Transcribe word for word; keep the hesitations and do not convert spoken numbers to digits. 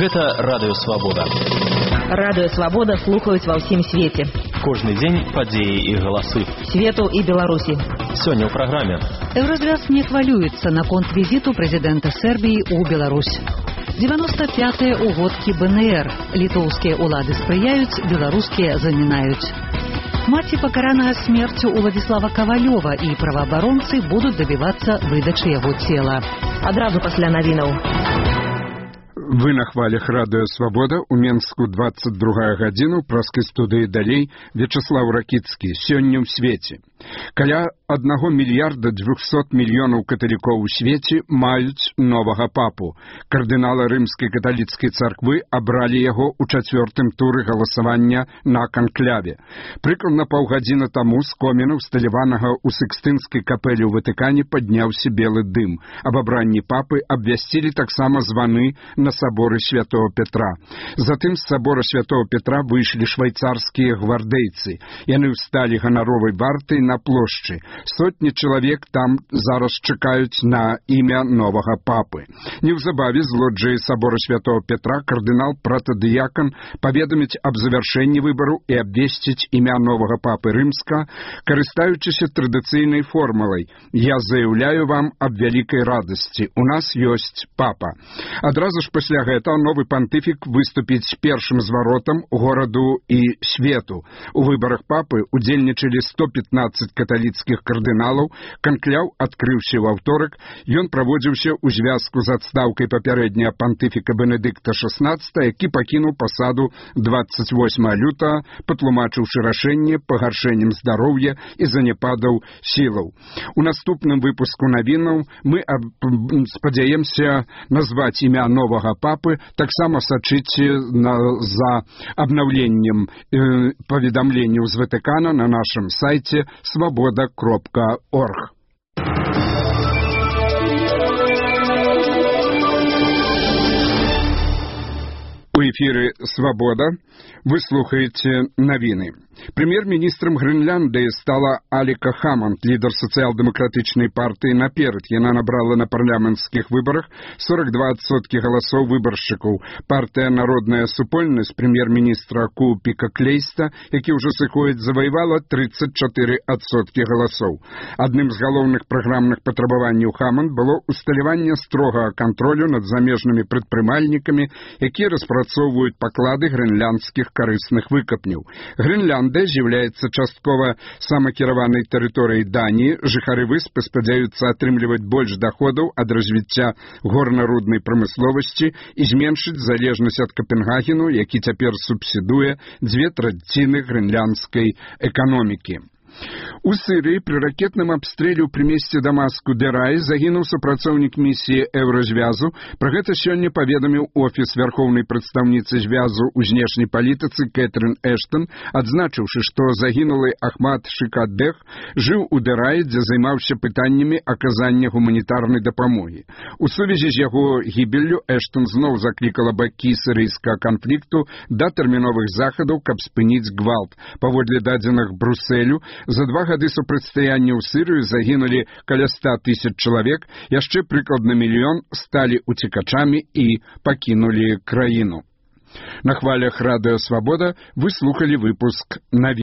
Гэта Радыё Свабода. Радыё Свабода слухаюць ва ўсім свеце. Кожны дзень падзеі і галасы. Свету і Беларусі. Сёння ў праграме. Еўразвяз не хвалюецца наконт візіту прэзідэнта Сербіі ў Беларусь. девяносто пятыя угодкі бэ эн эр. Літоўскія ўлады спрыяюць, беларускія замінаюць. Маці пакараная смерцю Уладзіслава Кавалёва і праваабаронцы будуць дабівацца выдачы яго цела. Адразу пасля навінаў. Вы на хвалях Радыё Свабода, у Менску двадцать другая гадзіна, у праскай студыі далей Вячаслаў Ракіцкі. Сёння ў свеце. Каля аднаго мільярда дзвюхсот мільёнаў каталікоў у свеце маюць новага папу. Кардынала рымскай каталіцкай царквы абралі яго ў чацвёртым туры галасавання на канкляве. Прыкладна паўгадзіны таму з коміна, усталяванага ў Сікстынскай капэлі ў Ватыкане, падняўся белы дым. Аб абранні папы абвясцілі таксама званы на саборы святого Петра. Затым з сабора святого Петра выйшлі швайцарскія гвардейцы. Яны ўсталі ганаровай вартай на плошчы. Сотні чалавек там зараз чакаюць на імя новага папы. Неўзабаве з лоджыі сабора святого Петра кардынал пратадыякан паведаміць аб завяршэнні выбару і абвесціць імя новага папы рымска, карыстаючыся традыцыйнай формулай: «Я заяўляю вам аб вялікай радасці. У нас ёсць папа». Адразу ж пасля гэтага новы пантыфік выступіць першым зваротам гораду і свету. У выбарах папы удзельнічалі сто пятнадцать каталіцкіх кардыналаў. Канкляў адкрыўся ў аўторак. Ён праводзіўся ў звязку з адстаўкай папярэдняга пантыфіка Бенедыкта шаснаццатага, які пакінуў пасаду двадцать восьмага лютага, патлумачыўшы рашэнне пагаршэннем здароўя і заняпадаў сілаў. У наступным выпуску навінаў мы спадзяемся назваць імя новага папы. Таксама сачыце на, за абнаўленнем э, паведамленняў з Ватыкана на нашым сайце свабода кропка орг. У эфіры «Свабода» вы слухаеце навіны. Прэм'ер-міністрам Грэнляндыі стала Аліка Хаманд, лідар сацыял-дэмакратычнай партыі «Наперад». Яна набрала на парламенцкіх выбарах сорок два адсоткі галасоў выбаршчыкаў. Партыя «Народная супольнасць» прэм'ер-міністра Куупіка Клейста, які ўжо сыходзіць, заваявала тридцать четыре адсоткі галасоў. Адным з галоўных праграмных патрабаванняў Хаманд было усталяванне строгага кантролю над замежнымі прадпрымальнікамі, якія распрацоўваюць паклады грэнляндскіх карысных выкапняў. Грэнляндыя з'яўляецца часткова самакіраванай тэрыторыяй Даніі. Жыхары выспы спадзяюцца атрымліваць больш даходаў ад развіцця горна-руднай прамысловасці і зменшыць залежнасць ад Капенгагену, які цяпер субсідуе дзве траціны грэнляндскай эканомікі. У Сірыі пры ракетным абстрэле ў прымесце Дамаску Дераі загінуў супрацоўнік місіі Еўразвязу. Пра гэта сёння паведаміў офіс вярхоўнай прадстаўніцы звязу ў знешняй палітыцы Кэтрын Эштон, адзначыўшы, што загінулы Ахмад Шыкадэх жыў у Дераі, дзе займаўся пытаннямі аказання гуманітарнай дапамогі. У сувязі з яго гібеллю Эштон зноў заклікала бакі сірыйскага канфлікту да тэрміновых захадаў, каб спыніць гвалт. Паводле дадзеных Брусэлю, за два гады супрацьстаяння ў Сірыю загінулі каля ста тысяч чалавек, яшчэ прыкладна мільён сталі уцекачамі і пакінулі краіну. На хвалях Радыё Свабода вы слухалі выпуск навін.